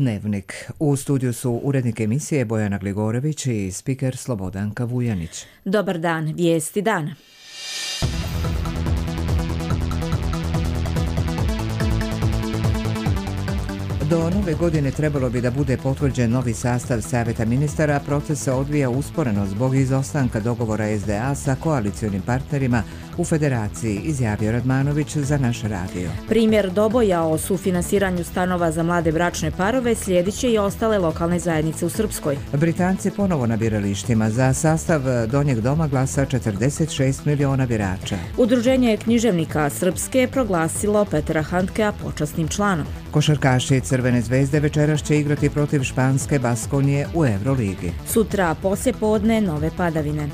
Dnevnik. U studiju su urednik emisije Bojana Gligorević i spiker Slobodanka Vujanić. Dobar dan, vijesti dana. Do nove godine trebalo bi da bude potvrđen novi sastav Savjeta ministara, proces se odvija usporeno zbog izostanka dogovora SDA sa koalicionim partnerima u federaciji, izjavio Radmanović za naš radio. Primjer doboja o sufinansiranju stanova za mlade bračne parove slijedit će i ostale lokalne zajednice u Srpskoj. Britanci ponovo na biralištima. Za sastav Donjeg doma glasa 46 miliona birača. Udruženje književnika Srpske proglasilo Petra Handkea počasnim članom. Košarkaši Crvene zvezde večeras će igrati protiv španske Baskonije u Euroligi. Sutra poslijepodne nove padavine.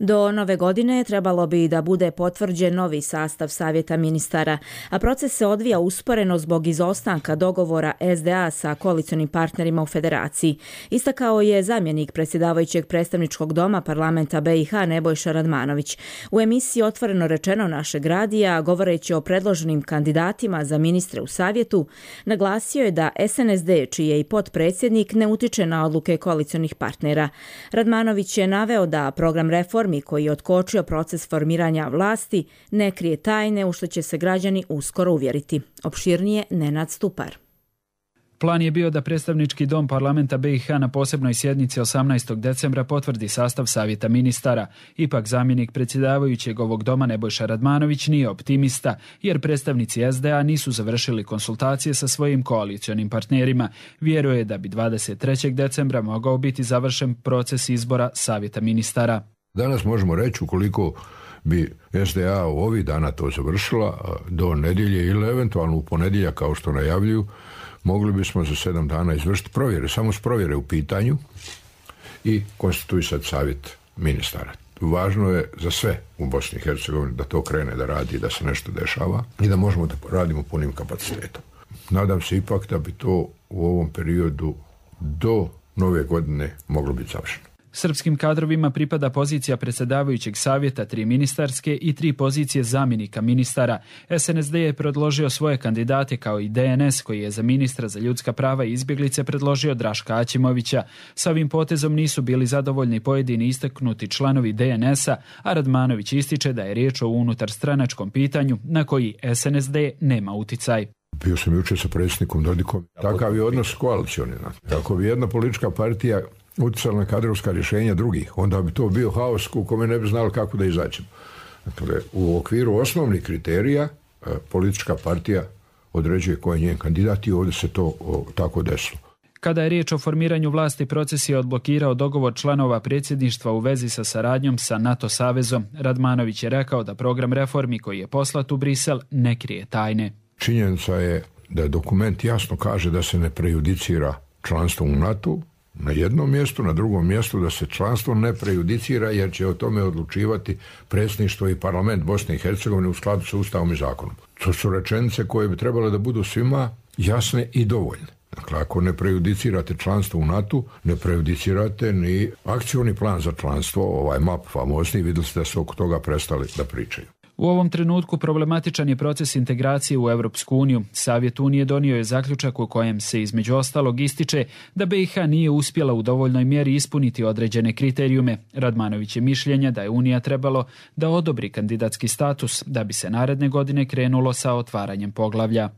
Do nove godine trebalo bi da bude potvrđen novi sastav Savjeta ministara, a proces se odvija usporeno zbog izostanka dogovora SDA sa koalicionim partnerima u federaciji. Istakao je zamjenik predsjedavajućeg predstavničkog doma parlamenta BiH Nebojša Radmanović. U emisiji Otvoreno rečeno našeg radija, govoreći o predloženim kandidatima za ministre u savjetu, naglasio je da SNSD, čiji je i potpredsjednik, ne utiče na odluke koalicionih partnera. Radmanović je naveo da program reformi koji je otkočio proces formiranja vlasti ne krije tajne u što će se građani uskoro uvjeriti. Opširnije Nenad Stupar. Plan je bio da predstavnički dom parlamenta BiH na posebnoj sjednici 18. decembra potvrdi sastav Savjeta ministara. Ipak zamjenik predsjedavajućeg ovog doma Nebojša Radmanović nije optimista, jer predstavnici SDA nisu završili konsultacije sa svojim koalicionim partnerima. Vjeruje da bi 23. decembra mogao biti završen proces izbora Savjeta ministara. Danas možemo reći, ukoliko bi SDA u ovih dana to završila, do nedjelje ili eventualno u ponedjeljak kao što najavljuju, mogli bismo za 7 dana izvršiti provjere, samo s provjere u pitanju i konstituisati savjet ministara. Važno je za sve u Bosni i Hercegovini da to krene da radi, da se nešto dešava i da možemo da radimo punim kapacitetom. Nadam se ipak da bi to u ovom periodu do nove godine moglo biti završeno. Srpskim kadrovima pripada pozicija predsjedavajućeg savjeta, 3 ministarske i 3 pozicije zamjenika ministara. SNSD je predložio svoje kandidate kao i DNS, koji je za ministra za ljudska prava i izbjeglice predložio Draška Aćimovića. Sa ovim potezom nisu bili zadovoljni pojedini istaknuti članovi DNS-a, a Radmanović ističe da je riječ o unutarstranačkom pitanju na koji SNSD nema uticaj. Bio sam jučer sa predsjednikom Dodikom. Takav je odnos koalicioni. Ako bi jedna politička partija utjecala na kadrovska rješenja drugih, onda bi to bio haos u kome ne bi znali kako da izađemo. Dakle, u okviru osnovnih kriterija politička partija određuje ko je njen kandidat i ovdje se to tako desilo. Kada je riječ o formiranju vlasti, proces je odblokirao dogovor članova predsjedništva u vezi sa saradnjom sa NATO savezom. Radmanović je rekao da program reformi koji je poslat u Brisel ne krije tajne. Činjenica je da dokument jasno kaže da se ne prejudicira članstvo u NATO na jednom mjestu, na drugom mjestu da se članstvo ne prejudicira jer će o tome odlučivati predsjedništvo i parlament Bosne i Hercegovine u skladu sa Ustavom i zakonom. To su rečenice koje bi trebale da budu svima jasne i dovoljne. Dakle, ako ne prejudicirate članstvo u NATO, ne prejudicirate ni akcioni plan za članstvo, ovaj MAP famozni, vidjeli ste da su oko toga prestali da pričaju. U ovom trenutku problematičan je proces integracije u Europsku uniju. Savjet Unije donio je zaključak u kojem se između ostalog ističe da BiH nije uspjela u dovoljnoj mjeri ispuniti određene kriterijume. Radmanović je mišljenja da je Unija trebalo da odobri kandidatski status da bi se naredne godine krenulo sa otvaranjem poglavlja.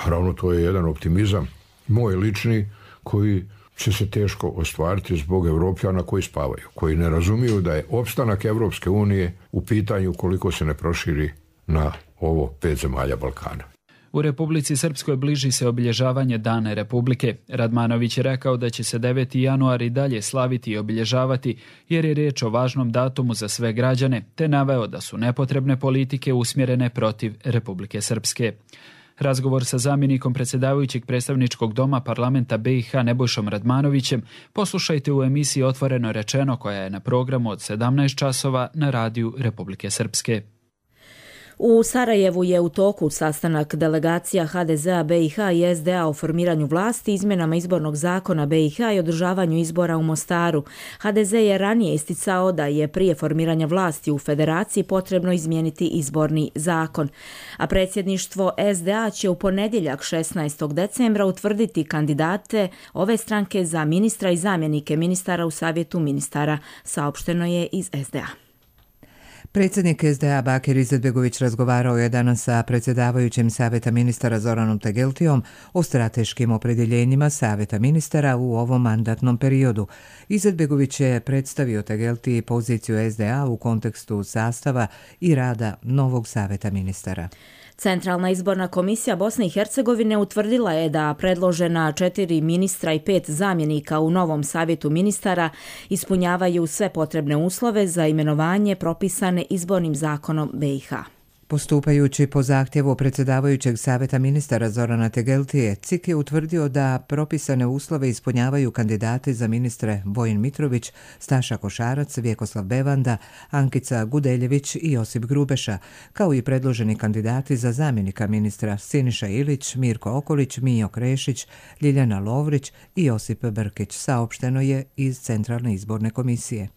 Naravno, to je jedan optimizam, moj lični, koji će se teško ostvariti zbog Evropljana koji spavaju, koji ne razumiju da je opstanak Evropske unije u pitanju koliko se ne proširi na ovo 5 zemalja Balkana. U Republici Srpskoj bliži se obilježavanje Dana Republike. Radmanović je rekao da će se 9. januar i dalje slaviti i obilježavati jer je riječ o važnom datumu za sve građane, te naveo da su nepotrebne politike usmjerene protiv Republike Srpske. Razgovor sa zamjenikom predsjedavajućeg predstavničkog doma parlamenta BiH Nebojšom Radmanovićem poslušajte u emisiji Otvoreno rečeno koja je na programu od 17 časova na radiju Republike Srpske. U Sarajevu je u toku sastanak delegacija HDZ-a BiH i SDA o formiranju vlasti, izmjenama izbornog zakona BiH i održavanju izbora u Mostaru. HDZ je ranije isticao da je prije formiranja vlasti u federaciji potrebno izmijeniti izborni zakon. A predsjedništvo SDA će u ponedjeljak 16. decembra utvrditi kandidate ove stranke za ministra i zamjenike ministara u Savjetu ministara, saopšteno je iz SDA. Predsjednik SDA Bakir Izetbegović razgovarao je danas sa predsjedavajućim Savjeta ministara Zoranom Tegeltijom o strateškim opredjeljenjima Savjeta ministara u ovom mandatnom periodu. Izetbegović je predstavio Tegeltiji poziciju SDA u kontekstu sastava i rada novog Savjeta ministara. Centralna izborna komisija Bosne i Hercegovine utvrdila je da predložena 4 ministra i 5 zamjenika u novom Savjetu ministara ispunjavaju sve potrebne uslove za imenovanje propisane izbornim zakonom BiH. Postupajući po zahtjevu predsjedavajućeg Savjeta ministara Zorana Tegeltije, CIK je utvrdio da propisane uslove ispunjavaju kandidati za ministre Vojin Mitrović, Staša Košarac, Vjekoslav Bevanda, Ankica Gudeljević i Josip Grubeša, kao i predloženi kandidati za zamjenika ministra Siniša Ilić, Mirko Okolić, Mijo Krešić, Ljiljana Lovrić i Josip Brkić, saopšteno je iz Centralne izborne komisije.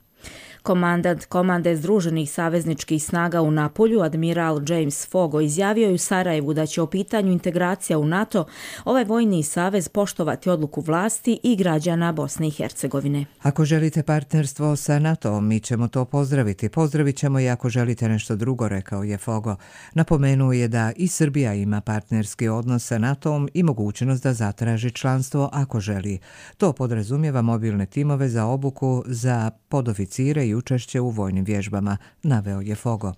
Komandant komande Združenih savezničkih snaga u Napolju, admiral James Fogo, izjavio je u Sarajevu da će o pitanju integracija u NATO ovaj vojni savez poštovati odluku vlasti i građana Bosne i Hercegovine. Ako želite partnerstvo sa NATO-om, mi ćemo to pozdraviti. Pozdravit ćemo i ako želite nešto drugo, rekao je Fogo. Napomenuo je da i Srbija ima partnerski odnos sa NATO-om i mogućnost da zatraži članstvo ako želi. To podrazumijeva mobilne timove za obuku za podoficire i učešće u vojnim vježbama, naveo je Fogo.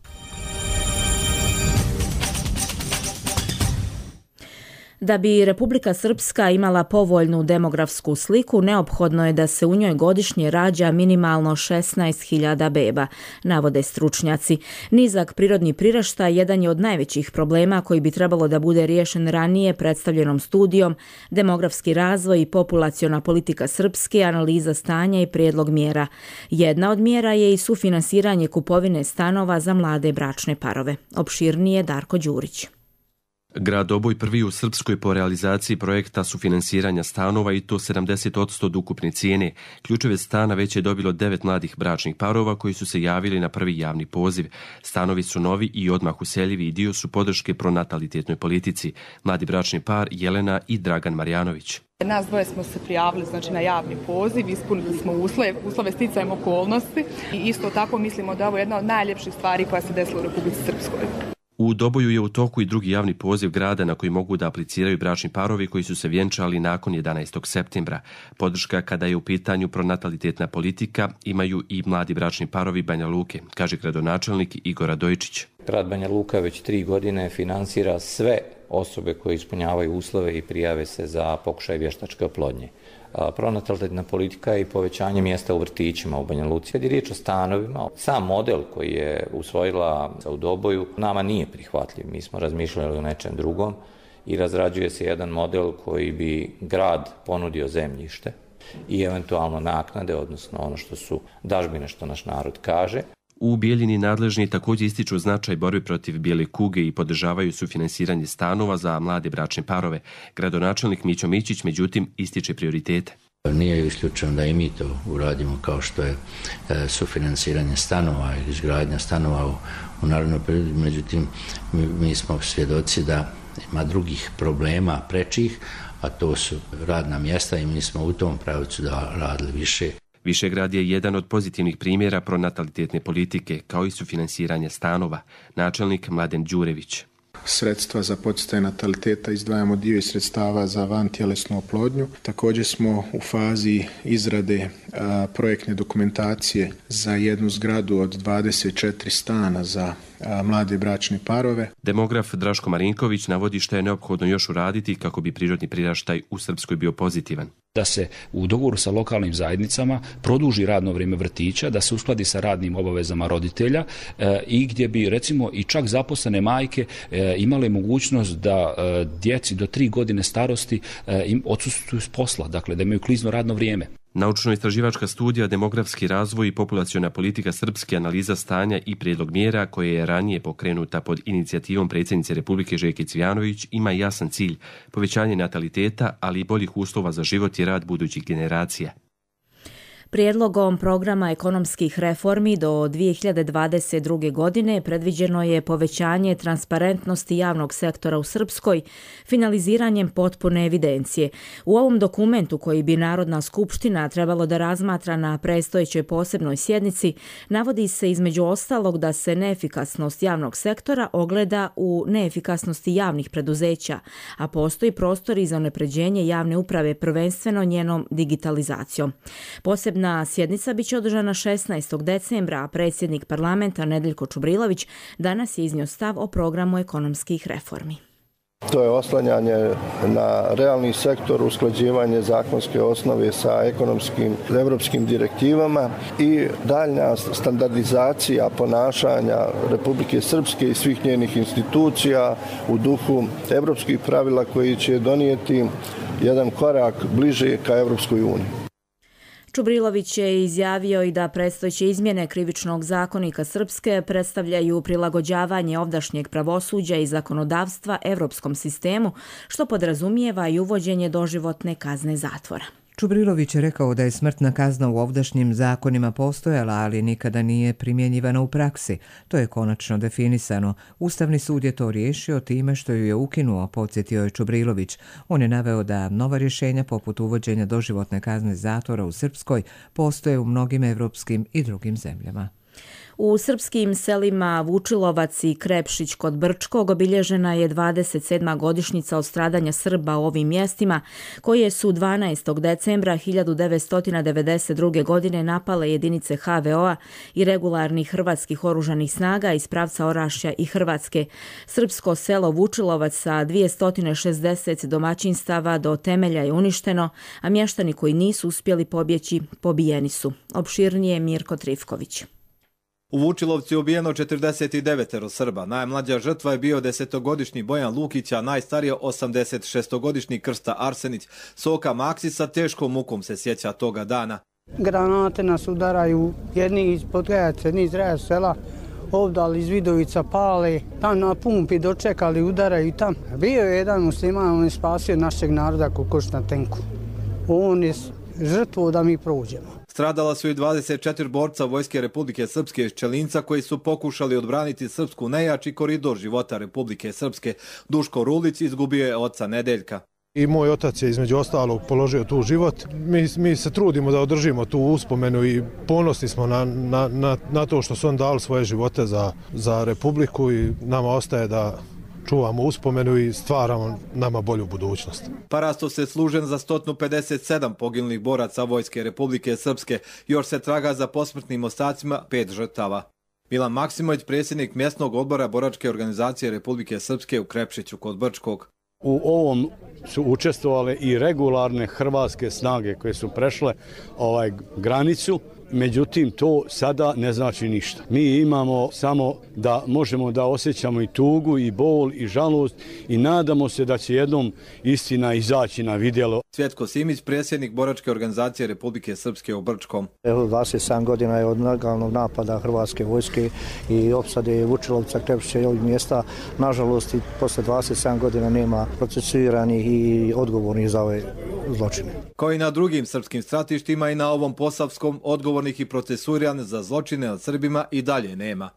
Da bi Republika Srpska imala povoljnu demografsku sliku, neophodno je da se u njoj godišnje rađa minimalno 16.000 beba, navode stručnjaci. Nizak prirodni priraštaj jedan je od najvećih problema koji bi trebalo da bude riješen ranije predstavljenom studijom Demografski razvoj i populaciona politika Srpske, analiza stanja i prijedlog mjera. Jedna od mjera je i sufinansiranje kupovine stanova za mlade bračne parove. Opširnije Darko Đurić. Grad Oboj prvi u Srpskoj po realizaciji projekta sufinansiranja stanova i to 70% od ukupne cijene. Ključeve stana već je dobilo 9 mladih bračnih parova koji su se javili na prvi javni poziv. Stanovi su novi i odmah useljivi i dio su podrške pronatalitetnoj politici. Mladi bračni par Jelena i Dragan Marjanović. Nas dvoje smo se prijavili na javni poziv, ispunili smo uslove sticajem okolnosti i isto tako mislimo da je ovo jedna od najljepših stvari koja se desila u Republici Srpskoj. U Doboju je u toku i drugi javni poziv grada na koji mogu da apliciraju bračni parovi koji su se vjenčali nakon 11. septembra. Podrška kada je u pitanju pronatalitetna politika imaju i mladi bračni parovi Banja Luke, kaže gradonačelnik Igor Radojčić. Grad Banja Luka već 3 godine finansira sve osobe koje ispunjavaju uslove i prijave se za pokušaj vještačke oplodnje. Pronatalitetna politika i povećanje mjesta u vrtićima u Banja Luci. Kad je riječ o stanovima, sam model koji je usvojila u Doboju nama nije prihvatljiv. Mi smo razmišljali o nečem drugom i razrađuje se jedan model koji bi grad ponudio zemljište i eventualno naknade, odnosno ono što su dažbine, što naš narod kaže. U Bijeljini nadležni također ističu značaj borbe protiv bijele kuge i podržavaju sufinansiranje stanova za mlade bračne parove. Gradonačelnik Mićo Mićić, međutim, ističe prioritete. Nije isključeno da i mi to uradimo kao što je sufinansiranje stanova ili izgradnja stanova u narednom periodu. Međutim, mi smo svjedoci da ima drugih problema prečih, a to su radna mjesta i mi smo u tom pravcu da radili više. Višegrad je jedan od pozitivnih primjera pronatalitetne politike, kao i sufinansiranje stanova. Načelnik Mladen Đurević. Sredstva za poticaj nataliteta izdvajamo dio iz sredstava za vantjelesnu oplodnju. Također smo u fazi izrade projektne dokumentacije za jednu zgradu od 24 stana za mlade bračne parove. Demograf Draško Marinković navodi što je neophodno još uraditi kako bi prirodni priraštaj u Srpskoj bio pozitivan. Da se u dogovoru sa lokalnim zajednicama produži radno vrijeme vrtića, da se uskladi sa radnim obavezama roditelja i gdje bi recimo i čak zaposlene majke imale mogućnost da djeci do 3 godine starosti im odsustvuju s posla, dakle da imaju klizno radno vrijeme. Naučno-istraživačka studija Demografski razvoj i populaciona politika Srpske, analiza stanja i prijedlog mjera koje je ranije pokrenuta pod inicijativom predsjednice Republike Željke Cvijanović ima jasan cilj, povećanje nataliteta, ali i boljih uslova za život i rad budućih generacija. Prijedlogom programa ekonomskih reformi do 2022. godine predviđeno je povećanje transparentnosti javnog sektora u Srpskoj finaliziranjem potpune evidencije. U ovom dokumentu koji bi Narodna skupština trebalo da razmatra na predstojećoj posebnoj sjednici navodi se između ostalog da se neefikasnost javnog sektora ogleda u neefikasnosti javnih preduzeća, a postoji prostor i za unapređenje javne uprave prvenstveno njenom digitalizacijom. Posebna sjednica biće održana 16. decembra, a predsjednik parlamenta Nedeljko Čubrilović danas je iznio stav o programu ekonomskih reformi. To je oslanjanje na realni sektor, usklađivanje zakonske osnove sa evropskim direktivama i daljnja standardizacija ponašanja Republike Srpske i svih njenih institucija u duhu evropskih pravila koji će donijeti jedan korak bliže ka Evropskoj uniji. Čubrilović je izjavio i da predstojeće izmjene Krivičnog zakonika Srpske predstavljaju prilagođavanje ovdašnjeg pravosuđa i zakonodavstva evropskom sistemu, što podrazumijeva i uvođenje doživotne kazne zatvora. Čubrilović je rekao da je smrtna kazna u ovdašnjim zakonima postojala, ali nikada nije primjenjivana u praksi. To je konačno definisano. Ustavni sud je to riješio time što ju je ukinuo, podsjetio je Čubrilović. On je naveo da nova rješenja poput uvođenja doživotne kazne zatvora u Srpskoj postoje u mnogim evropskim i drugim zemljama. U srpskim selima Vučilovac i Krepšić kod Brčkog obilježena je 27. godišnjica od stradanja Srba u ovim mjestima, koje su 12. decembra 1992. godine napale jedinice HVO-a i regularnih hrvatskih oružanih snaga iz pravca Orašja i Hrvatske. Srpsko selo Vučilovac sa 260 domaćinstava do temelja je uništeno, a mještani koji nisu uspjeli pobjeći pobijeni su. Opširnije Mirko Trifković. U Vučilovcu je ubijeno 49 Srba. Najmlađa žrtva je bio 10-godišnji Bojan Lukić, a najstarija 86-godišnji Krsta Arsenić. Soka Maksisa teškom mukom se sjeća toga dana. Granate nas udaraju, jedni iz Podgajaca, jedni iz Raja sela, ovdje iz Vidovica pale, tam na pumpi dočekali, udaraju tam. Bio je jedan musliman, on je spasio našeg naroda kokoš na tenku. On je žrtvo da mi prođemo. Stradala su i 24 borca Vojske Republike Srpske iz Čelinca koji su pokušali odbraniti srpsku najjači koridor života Republike Srpske. Duško Rulić izgubio je oca Nedeljka. I moj otac je između ostalog položio tu život. Mi se trudimo da održimo tu uspomenu i ponosni smo na to što su on dali svoje živote za Republiku i nama ostaje da čuvamo uspomenu i stvaramo nama bolju budućnost. Parastos je služen za 157 poginulih boraca Vojske Republike Srpske. Još se traga za posmrtnim ostacima 5 žrtava. Milan Maksimović, predsjednik mjesnog odbora boračke organizacije Republike Srpske u Krepšiću kod Brčkog. U ovom su učestvovale i regularne hrvatske snage koje su prešle granicu. Međutim, to sada ne znači ništa. Mi imamo samo da možemo da osjećamo i tugu, i bol, i žalost i nadamo se da će jednom istina izaći na vidjelo. Cvjetko Simić, predsjednik boračke organizacije Republike Srpske u Brčkom. 27 godina je od nelegalnog napada Hrvatske vojske i opsade Vučilovca, Krepšića i ovih mjesta. Nažalost, i posle 27 godina nema procesuiranih i odgovornih za ove zločine. Kao i na drugim srpskim stratištima i na ovom posavskom odgovornih i procesuiranih za zločine nad Srbima i dalje nema.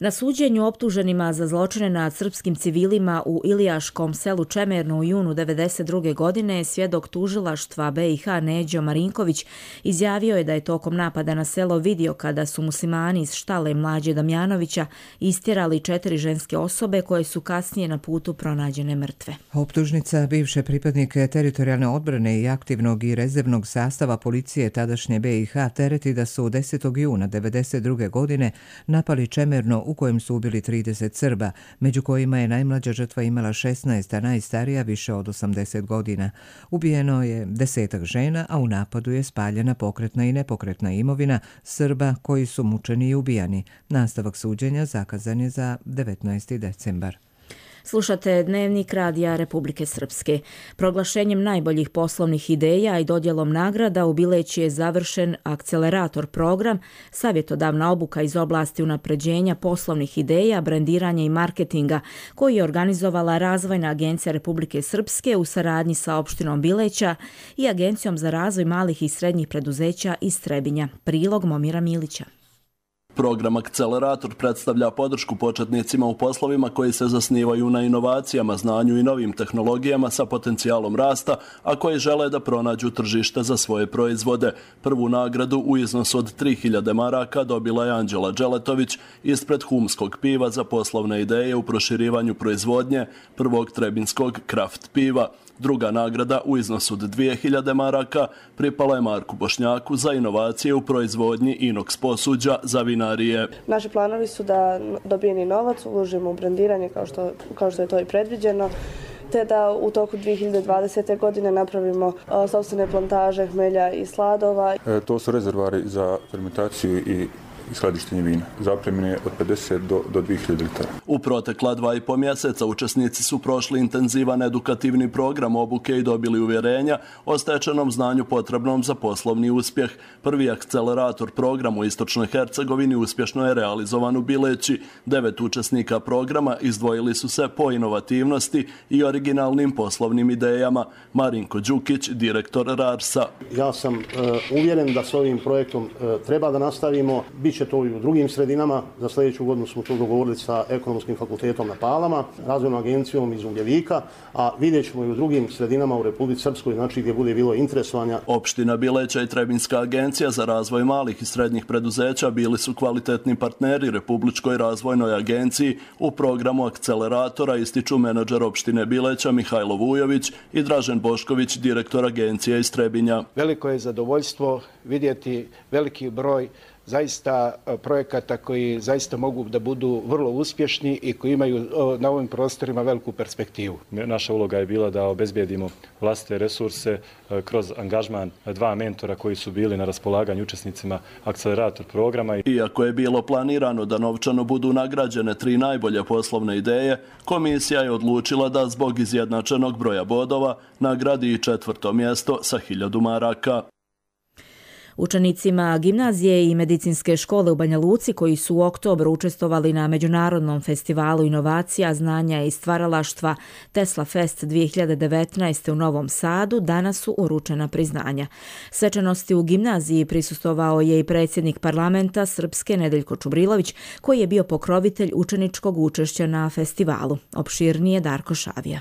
Na suđenju optuženima za zločine nad srpskim civilima u Ilijaškom selu Čemerno u junu 1992. godine svjedok tužilaštva BiH Neđo Marinković izjavio je da je tokom napada na selo vidio kada su muslimani iz štale Mlađe Damjanovića istjerali 4 ženske osobe koje su kasnije na putu pronađene mrtve. Optužnica bivše pripadnike teritorijalne odbrane i aktivnog i rezervnog sastava policije tadašnje BiH tereti da su 10. juna 1992. godine napali Čemerno u kojem su ubili 30 Srba, među kojima je najmlađa žrtva imala 16, a najstarija više od 80 godina. Ubijeno je 10 žena, a u napadu je spaljena pokretna i nepokretna imovina Srba koji su mučeni i ubijani. Nastavak suđenja zakazan je za 19. decembar. Slušate Dnevnik Radija Republike Srpske. Proglašenjem najboljih poslovnih ideja i dodjelom nagrada u Bileći je završen akcelerator program, savjetodavna obuka iz oblasti unapređenja poslovnih ideja, brendiranja i marketinga, koji je organizovala Razvojna agencija Republike Srpske u saradnji sa opštinom Bileća i Agencijom za razvoj malih i srednjih preduzeća iz Trebinja. Prilog Momira Milića. Program Akcelerator predstavlja podršku početnicima u poslovima koji se zasnivaju na inovacijama, znanju i novim tehnologijama sa potencijalom rasta, a koji žele da pronađu tržište za svoje proizvode. Prvu nagradu u iznosu od 3000 maraka dobila je Anđela Đeletović ispred Humskog piva za poslovne ideje u proširivanju proizvodnje prvog trebinskog kraft piva. Druga nagrada u iznosu od 2000 maraka pripala je Marku Bošnjaku za inovacije u proizvodnji inoks posuđa za vinarije. Naši planovi su da dobijeni novac uložimo u brendiranje kao što je to i predviđeno, te da u toku 2020. godine napravimo sopstvene plantaže hmelja i sladova. To su rezervari za fermentaciju i skladištenje vina. Zapremine od 50 do 2000 litara. U protekla 2,5 mjeseca učesnici su prošli intenzivan edukativni program obuke i dobili uvjerenja o stečenom znanju potrebnom za poslovni uspjeh. Prvi akcelerator program u Istočnoj Hercegovini uspješno je realizovan u Bileći. 9 učesnika programa izdvojili su se po inovativnosti i originalnim poslovnim idejama. Marinko Đukić, direktor RARS-a. Ja sam uvjeren da s ovim projektom treba da nastavimo. Biće to i u drugim sredinama. Za sljedeću godinu smo to dogovorili sa Ekonomskim fakultetom na Palama, Razvojnom agencijom iz Ugljevika, a vidjet ćemo i u drugim sredinama u Republici Srpskoj, znači gdje bude bilo interesovanja. Opština Bileća i Trebinska agencija za razvoj malih i srednjih preduzeća bili su kvalitetni partneri Republičkoj razvojnoj agenciji u programu akceleratora, ističu menadžer opštine Bileća Mihajlo Vujović i Dražen Bošković, direktor agencije iz Trebinja. Veliko je zadovoljstvo vidjeti veliki broj zaista projekata koji zaista mogu da budu vrlo uspješni i koji imaju na ovim prostorima veliku perspektivu. Naša uloga je bila da obezbijedimo vlastite resurse kroz angažman 2 mentora koji su bili na raspolaganju učesnicima akcelerator programa. Iako je bilo planirano da novčano budu nagrađene 3 najbolje poslovne ideje, komisija je odlučila da zbog izjednačenog broja bodova nagradi i 4. mjesto sa 1000 maraka. Učenicima gimnazije i medicinske škole u Banja Luci koji su u oktobru učestvovali na Međunarodnom festivalu inovacija, znanja i stvaralaštva Tesla Fest 2019. u Novom Sadu danas su uručena priznanja. Svečanosti u gimnaziji prisustvovao je i predsjednik parlamenta Srpske Nedeljko Čubrilović, koji je bio pokrovitelj učeničkog učešća na festivalu. Opširnije Darko Šavija.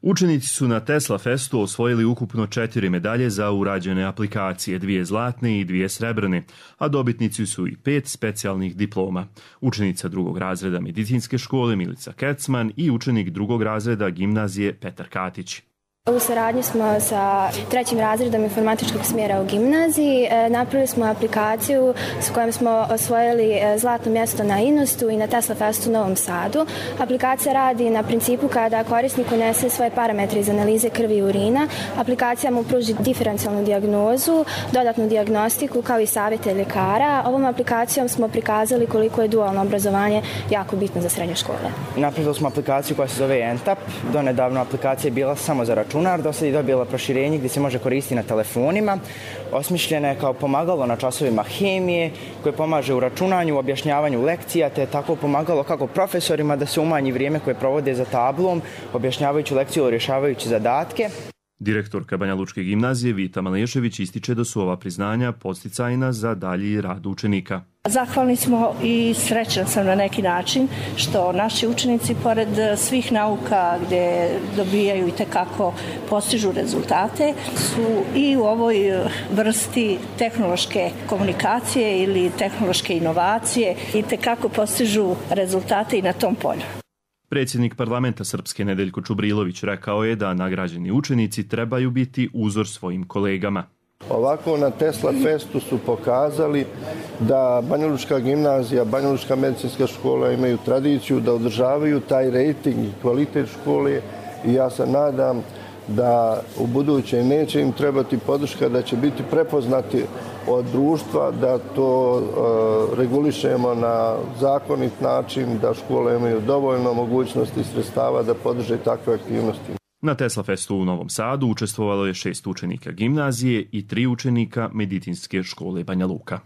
Učenici su na Tesla Festu osvojili ukupno 4 medalje za urađene aplikacije, 2 zlatne i 2 srebrne, a dobitnici su i 5 specijalnih diploma. Učenica 2. razreda medicinske škole Milica Kecman i učenik 2. razreda gimnazije Petar Katić. U saradnji smo sa 3. razredom informatičkog smjera u gimnaziji. Napravili smo aplikaciju s kojom smo osvojili zlatno mjesto na Inostu i na Tesla Festu u Novom Sadu. Aplikacija radi na principu kada korisnik unese svoje parametre iz analize krvi i urina. Aplikacija mu pruži diferencijalnu dijagnozu, dodatnu dijagnostiku kao i savjete ljekara. Ovom aplikacijom smo prikazali koliko je dualno obrazovanje jako bitno za srednje škole. Napravili smo aplikaciju koja se zove Entap. Donedavno aplikacija je bila samo za računar, do sad je dobila proširenje gdje se može koristiti na telefonima. Osmišljena je kao pomagalo na časovima hemije koje pomaže u računanju, u objašnjavanju lekcija, te tako pomagalo kako profesorima da se umanji vrijeme koje provode za tablom, objašnjavajući lekciju ili rješavajući zadatke. Direktorka Banja Lučke gimnazije Vita Malešević ističe da su ova priznanja podsticajna za dalji rad učenika. Zahvalni smo i srećan sam na neki način što naši učenici pored svih nauka gdje dobijaju i tekako postižu rezultate su i u ovoj vrsti tehnološke komunikacije ili tehnološke inovacije i tekako postižu rezultate i na tom polju. Predsjednik parlamenta Srpske Nedeljko Čubrilović rekao je da nagrađeni učenici trebaju biti uzor svojim kolegama. Ovako na Tesla Festu su pokazali da Banja Lučka gimnazija, Banja Lučka medicinska škola imaju tradiciju da održavaju taj rejting i kvalitet škole i ja se nadam da u buduće neće im trebati podrška, da će biti prepoznati od društva, da to regulišemo na zakonit način, da škole imaju dovoljno mogućnosti i sredstava da podrže takve aktivnosti. Na Tesla Festu u Novom Sadu učestvovalo je 6 učenika gimnazije i 3 učenika medicinske škole Banja Luka.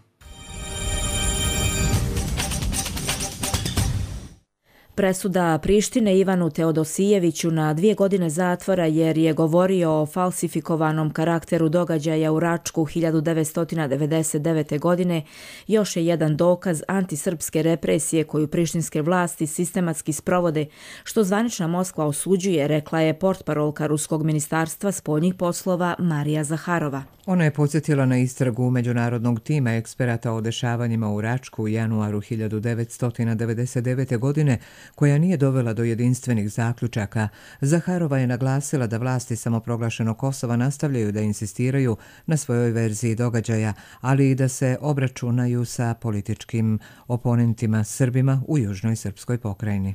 Presuda Prištine Ivanu Teodosijeviću na 2 godine zatvora jer je govorio o falsifikovanom karakteru događaja u Račku 1999. godine još je jedan dokaz antisrpske represije koju prištinske vlasti sistematski sprovode, što zvanična Moskva osuđuje, rekla je portparolka Ruskog ministarstva spoljnih poslova Marija Zaharova. Ona je podsjetila na istragu međunarodnog tima eksperata o dešavanjima u Račku u januaru 1999. godine, koja nije dovela do jedinstvenih zaključaka. Zaharova je naglasila da vlasti samoproglašenog Kosova nastavljaju da insistiraju na svojoj verziji događaja, ali i da se obračunaju sa političkim oponentima Srbima u južnoj srpskoj pokrajini.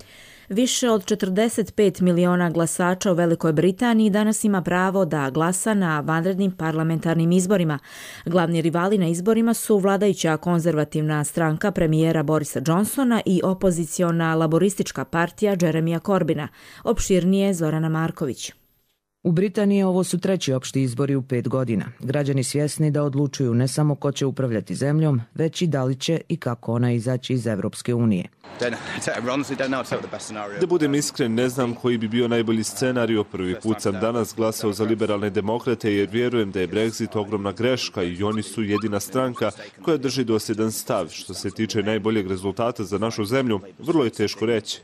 Više od 45 miliona glasača u Velikoj Britaniji danas ima pravo da glasa na vanrednim parlamentarnim izborima. Glavni rivali na izborima su vladajuća konzervativna stranka premijera Borisa Johnsona i opoziciona laboristička partija Jeremija Corbina. Opširnije Zorana Marković. U Britaniji ovo su 3. opšti izbori u 5 godina. Građani svjesni da odlučuju ne samo ko će upravljati zemljom, već i da li će i kako ona izaći iz Evropske unije. Da budem iskren, ne znam koji bi bio najbolji scenario. Prvi put sam danas glasao za liberalne demokrate jer vjerujem da je Brexit ogromna greška i oni su jedina stranka koja drži dosljedan stav. Što se tiče najboljeg rezultata za našu zemlju, vrlo je teško reći.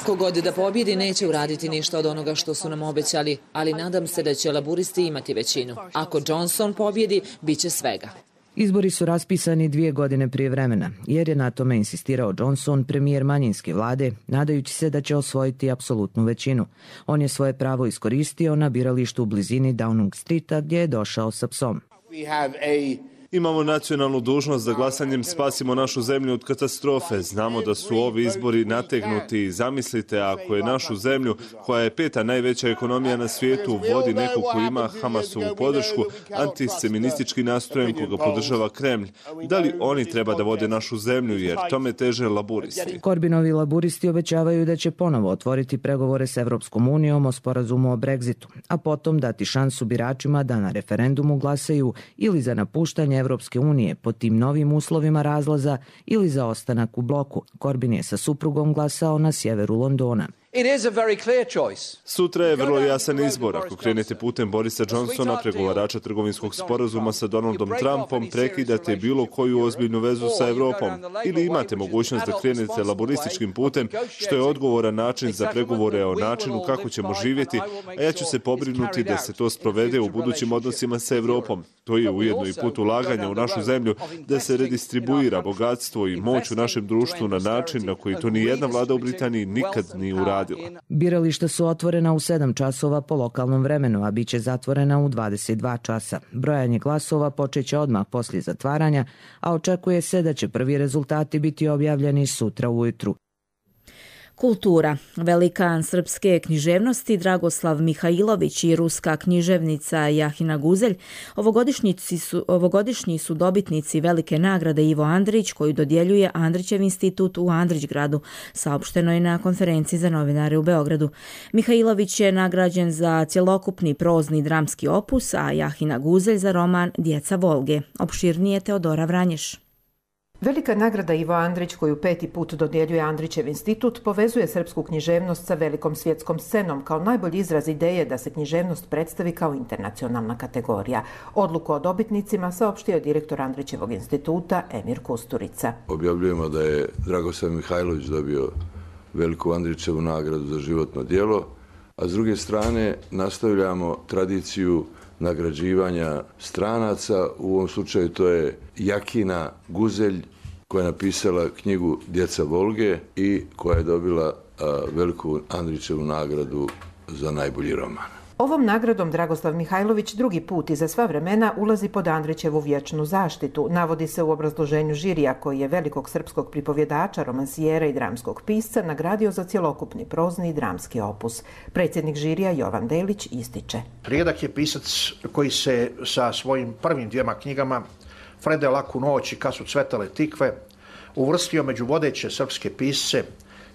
Kogod da pobjedi neće uraditi ništa od onoga što su nam obećali, ali nadam se da će laburisti imati većinu. Ako Johnson pobjedi, bit će svega. Izbori su raspisani 2 godine prije vremena, jer je na tome insistirao Johnson, premijer manjinske vlade, nadajući se da će osvojiti apsolutnu većinu. On je svoje pravo iskoristio na biralištu u blizini Downing Streeta gdje je došao sa psom. Imamo nacionalnu dužnost da glasanjem spasimo našu zemlju od katastrofe. Znamo da su ovi izbori nategnuti. Zamislite ako je našu zemlju, koja je 5. najveća ekonomija na svijetu, vodi neko ko ima Hamasovu podršku, antisemitistički nastrojen koga podržava Kremlj. Da li oni treba da vode našu zemlju, jer tome teže laburisti? Corbinovi laburisti obećavaju da će ponovo otvoriti pregovore s Evropskom unijom o sporazumu o Brexitu, a potom dati šansu biračima da na referendumu glasaju ili za napuštanje Evropske unije pod tim novim uslovima razlaza ili za ostanak u bloku. Corbyn je sa suprugom glasao na sjeveru Londona. Sutra je vrlo jasan izbor. Ako krenete putem Borisa Johnsona, pregovarača trgovinskog sporazuma sa Donaldom Trumpom, prekidate bilo koju ozbiljnu vezu sa Evropom. Ili imate mogućnost da krenete laborističkim putem, što je odgovoran način za pregovore o načinu kako ćemo živjeti, a ja ću se pobrinuti da se to sprovede u budućim odnosima sa Evropom. To je ujedno i put ulaganja u našu zemlju, da se redistribuira bogatstvo i moć u našem društvu na način na koji to ni jedna vlada u Britaniji nikad nije uradila. Birališta su otvorena u 7 časova po lokalnom vremenu, a bit će zatvorena u 22 časa. Brojanje glasova počeće odmah poslije zatvaranja, a očekuje se da će prvi rezultati biti objavljeni sutra ujutru. Kultura. Velikan srpske književnosti Dragoslav Mihajlović i ruska književnica Jahina Guzelj ovogodišnji su dobitnici velike nagrade Ivo Andrić koju dodjeljuje Andrićev institut u Andrićgradu, saopšteno je na konferenciji za novinare u Beogradu. Mihajlović je nagrađen za cjelokupni prozni dramski opus, a Jahina Guzelj za roman Djeca Volge. Opširnije Teodora Vranješ. Velika nagrada Ivo Andrić, koju 5. put dodjeljuje Andrićev institut, povezuje srpsku književnost sa velikom svjetskom scenom kao najbolji izraz ideje da se književnost predstavi kao internacionalna kategorija. Odluku o dobitnicima saopštio je direktor Andrićevog instituta Emir Kusturica. Objavljujemo da je Dragoslav Mihajlović dobio veliku Andrićevu nagradu za životno djelo, a s druge strane nastavljamo tradiciju nagrađivanja stranaca. U ovom slučaju to je Jahina Guzelj, koja je napisala knjigu Djeca Volge i koja je dobila veliku Andrićevu nagradu za najbolji roman. Ovom nagradom Dragoslav Mihajlović drugi put i za sva vremena ulazi pod Andrićevu vječnu zaštitu, navodi se u obrazloženju žirija koji je velikog srpskog pripovjedača, romansijera i dramskog pisca nagradio za cjelokupni prozni i dramski opus. Predsjednik žirija Jovan Delić ističe. Rijedak je pisac koji se sa svojim prvim dvijema knjigama Frede Laku noć i Kad su cvetale tikve uvrstio među vodeće srpske pisce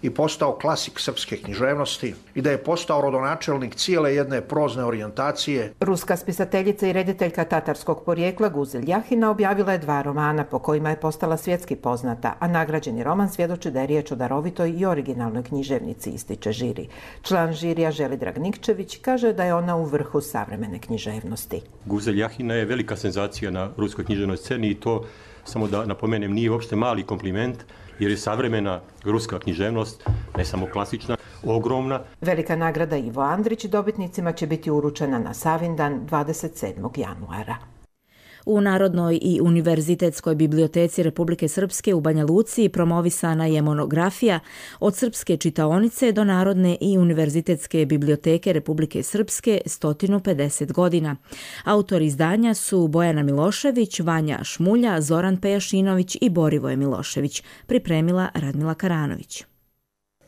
i postao klasik srpske književnosti i da je postao rodonačelnik cijele jedne prozne orijentacije. Ruska spisateljica i rediteljka tatarskog porijekla Guzel Jahina objavila je 2 romana po kojima je postala svjetski poznata, a nagrađeni roman svjedoči da je riječ o darovitoj i originalnoj književnici, ističe žiri. Član žirija Želidrag Nikčević kaže da je ona u vrhu savremene književnosti. Guzel Jahina je velika senzacija na ruskoj književnoj sceni i to, samo da napomenem, nije uopšte mali kompliment, jer je savremena ruska književnost, ne samo klasična, ogromna. Velika nagrada Ivo Andrić dobitnicima će biti uručena na Savindan 27. januara. U Narodnoj i univerzitetskoj biblioteci Republike Srpske u Banja Luci promovisana je monografija Od srpske čitaonice do Narodne i univerzitetske biblioteke Republike Srpske 150 godina. Autori izdanja su Bojana Milošević, Vanja Šmulja, Zoran Pejašinović i Borivoje Milošević, pripremila Radmila Karanović.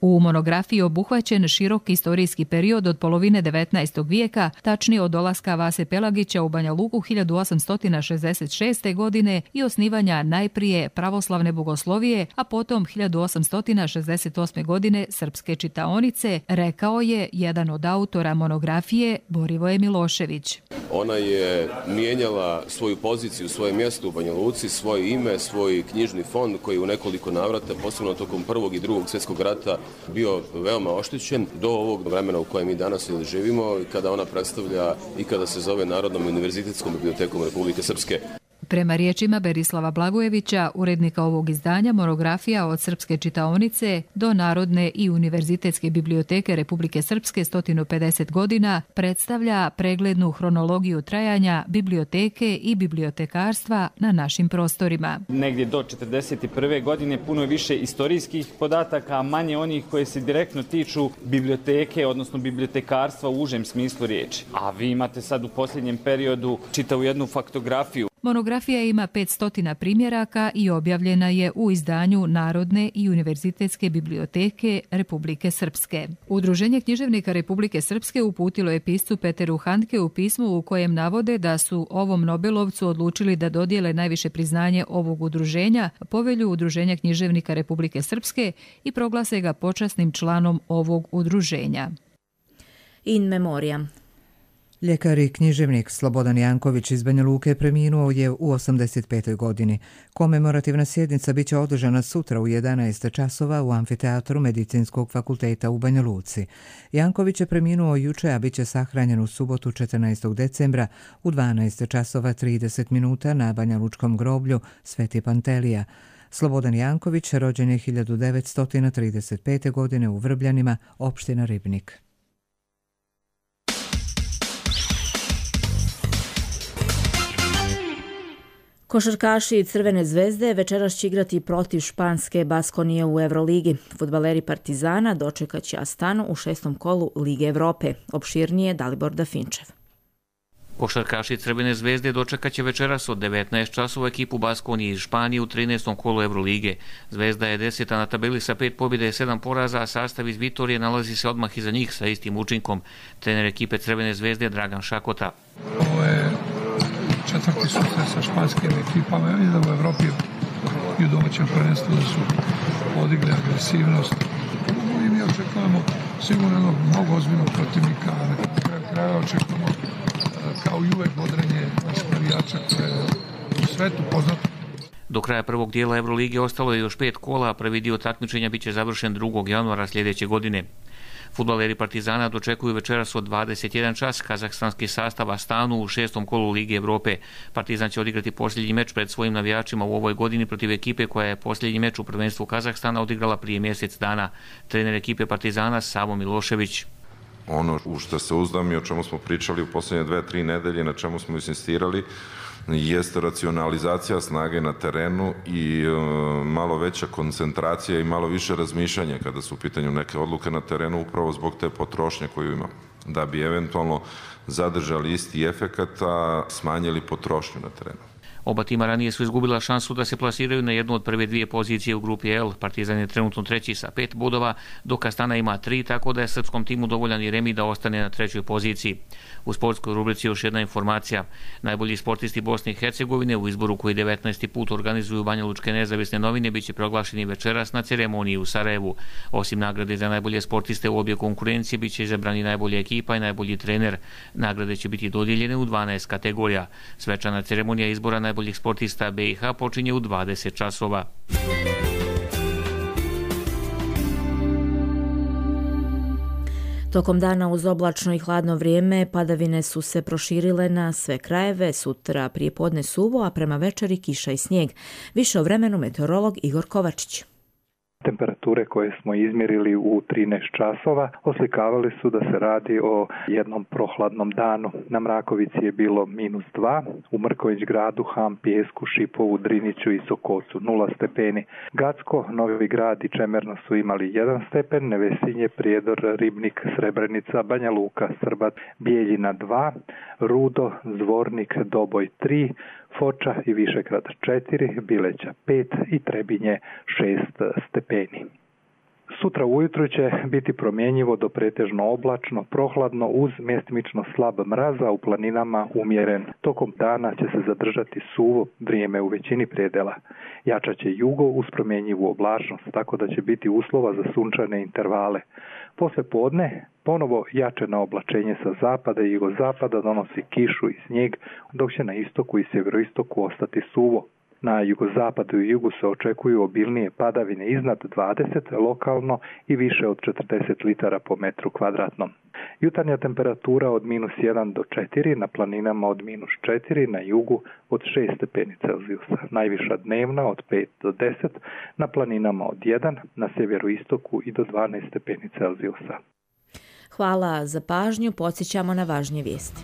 U monografiji obuhvaćen širok istorijski period od polovine 19. vijeka, tačnije od dolaska Vase Pelagića u Banja Luku 1866. godine i osnivanja najprije pravoslavne bogoslovije, a potom 1868. godine srpske čitaonice, rekao je jedan od autora monografije Borivoje Milošević. Ona je mijenjala svoju poziciju, svoje mjesto u Banja Luci, svoje ime, svoj knjižni fond koji je u nekoliko navrata, posebno tokom Prvog i Drugog svjetskog rata, bio veoma oštećen do ovog vremena u kojem mi danas živimo, kada ona predstavlja i kada se zove Narodnom univerzitetskom bibliotekom Republike Srpske. Prema riječima Berislava Blagojevića, urednika ovog izdanja, monografija Od srpske čitaonice do Narodne i univerzitetske biblioteke Republike Srpske 150 godina predstavlja preglednu hronologiju trajanja biblioteke i bibliotekarstva na našim prostorima. Negdje do 1941. godine puno više istorijskih podataka, a manje onih koje se direktno tiču biblioteke, odnosno bibliotekarstva u užem smislu riječi. A vi imate sad u posljednjem periodu čitavu jednu faktografiju. Monografija ima 500 primjeraka i objavljena je u izdanju Narodne i univerzitetske biblioteke Republike Srpske. Udruženje književnika Republike Srpske uputilo je piscu Peteru Handke u pismu u kojem navode da su ovom Nobelovcu odlučili da dodijele najviše priznanje ovog udruženja, povelju Udruženja književnika Republike Srpske i proglase ga počasnim članom ovog udruženja. In memoriam. Ljekar i književnik Slobodan Janković iz Banja Luke preminuo je u 85. godini. Komemorativna sjednica biće održana sutra u 11 časova u amfiteatru Medicinskog fakulteta u Banja Luci. Janković je preminuo juče, a biće sahranjen u subotu 14. decembra u 12 časova 30 minuta na Banja Lučkom groblju Sveti Pantelija. Slobodan Janković rođen je 1935. godine u Vrbljanima, opština Ribnik. Košarkaši Crvene zvezde večeras će igrati protiv španske Baskonije u Euroligi. Fudbaleri Partizana dočekaće Astanu u 6. kolu Lige Evrope. Opširnije Dalibor Dafinčev. Košarkaši Crvene zvezde dočekaće večeras od 19 časova ekipu Baskonije iz Španije u 13. kolu Evrolige. Zvezda je 10. na tabeli sa 5 pobjede i 7 poraza, a sastav iz Vitorije nalazi se odmah iza njih sa istim učinkom. Trener ekipe Crvene zvezde Dragan Šakota. Ovo je četvrti susret sa španskim ekipama. Ja vidim da u Evropi i u domaćem prvenstvu da su podigli agresivnost. I mi očekujemo sigurno mnogo ozbiljnog protivnika. Na kraju kraja očekujemo kao i uvek bodrenje naših navijača koje je u svetu poznato. Do kraja prvog dijela Evrolige ostalo je još 5 kola, a prvi dio takmičenja biće završen 2. januara sljedeće godine. Fudbaleri Partizana dočekuju večeras od 21 čas kazahstanski sastav Astanu u 6. kolu Lige Evrope. Partizan će odigrati posljednji meč pred svojim navijačima u ovoj godini protiv ekipe koja je posljednji meč u prvenstvu Kazahstana odigrala prije mjesec dana. Trener ekipe Partizana Savo Milošević. Ono u što se uzdam i o čemu smo pričali u posljednje 2-3 nedelje, na čemu smo insistirali, jeste racionalizacija snage na terenu i malo veća koncentracija i malo više razmišljanja kada su u pitanju neke odluke na terenu, upravo zbog te potrošnje koju ima. da bi eventualno zadržali isti efekat, a smanjili potrošnju na terenu. Oba tima ranije su izgubila šansu da se plasiraju na jednu od prve dvije pozicije u grupi L. Partizan je trenutno treći sa 5 bodova, dok Astana ima 3, tako da je srpskom timu dovoljan i remi da ostane na trećoj poziciji. U sportskoj rubrici još jedna informacija. Najbolji sportisti Bosne i Hercegovine u izboru koji 19. put organizuju Banjalučke nezavisne novine biće proglašeni večeras na ceremoniji u Sarajevu. Osim nagrade za najbolje sportiste u obje konkurencije biće izabrani najbolja ekipa i najbolji trener. Nagrade će biti dodijeljene u 12 kategorija. Svečana ceremonija izbora najboljih sportista BiH počinje u 20 časova. Tokom dana uz oblačno i hladno vrijeme padavine su se proširile na sve krajeve, sutra prije podne suvo, a prema večeri kiša i snijeg. Više o vremenu meteorolog Igor Kovačić. Temperature koje smo izmjerili u 13 časova oslikavali su da se radi o jednom prohladnom danu. Na Mrakovici je bilo -2, u Mrković gradu, Ham, Pijesku, Šipovu, Driniću i Sokocu 0 stepeni. Gacko, Novi Grad i Čemerno su imali 1 stepen, Nevesinje, Prijedor, Ribnik, Srebrenica, Banja Luka, Srbat, Bijeljina 2, Rudo, Zvornik, Doboj 3, Foča i Višegrad 4, Bileća 5 i Trebinje 6 stepeni. Sutra ujutro će biti promjenjivo do pretežno oblačno, prohladno uz mjestimično slab mraz, a u planinama umjeren. Tokom dana će se zadržati suvo vrijeme u većini predela. Jačat će jugo uz promjenjivu oblačnost, tako da će biti uslova za sunčane intervale. Posle podne ponovo jačeno oblačenje sa zapada i jugozapada donosi kišu i snijeg, dok će na istoku i sjeveroistoku ostati suvo. Na jugozapadu i jugu se očekuju obilnije padavine iznad 20 lokalno i više od 40 litara po metru kvadratnom. Jutarnja temperatura od -1 do 4, na planinama od -4, na jugu od 6 stepeni Celzijusa. Najviša dnevna od 5 do 10, na planinama od 1, na sjeveroistoku i do 12 stepeni Celzijusa. Hvala za pažnju, podsjećamo na važnije vijesti.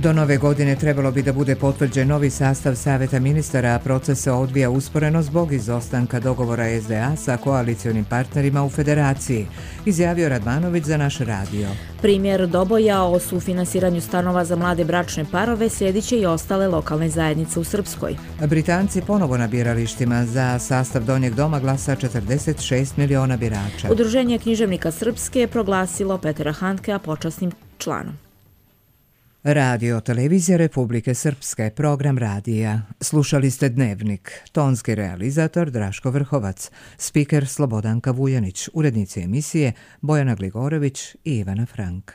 Do nove godine trebalo bi da bude potvrđen novi sastav Saveta ministara, a proces se odvija usporeno zbog izostanka dogovora SDA sa koalicionim partnerima u federaciji, izjavio Radmanović za naš radio. Primjer Doboja o sufinansiranju stanova za mlade bračne parove slijedit će i ostale lokalne zajednice u Srpskoj. Britanci ponovo na biralištima, za sastav Donjeg doma glasa 46 miliona birača. Udruženje književnika Srpske je proglasilo Petra Handkea počasnim članom. Radio Televizija Republike Srpske, program radija. Slušali ste Dnevnik, tonski realizator Draško Vrhovac, spiker Slobodanka Vujanić, urednici emisije Bojana Gligorović i Ivana Frank.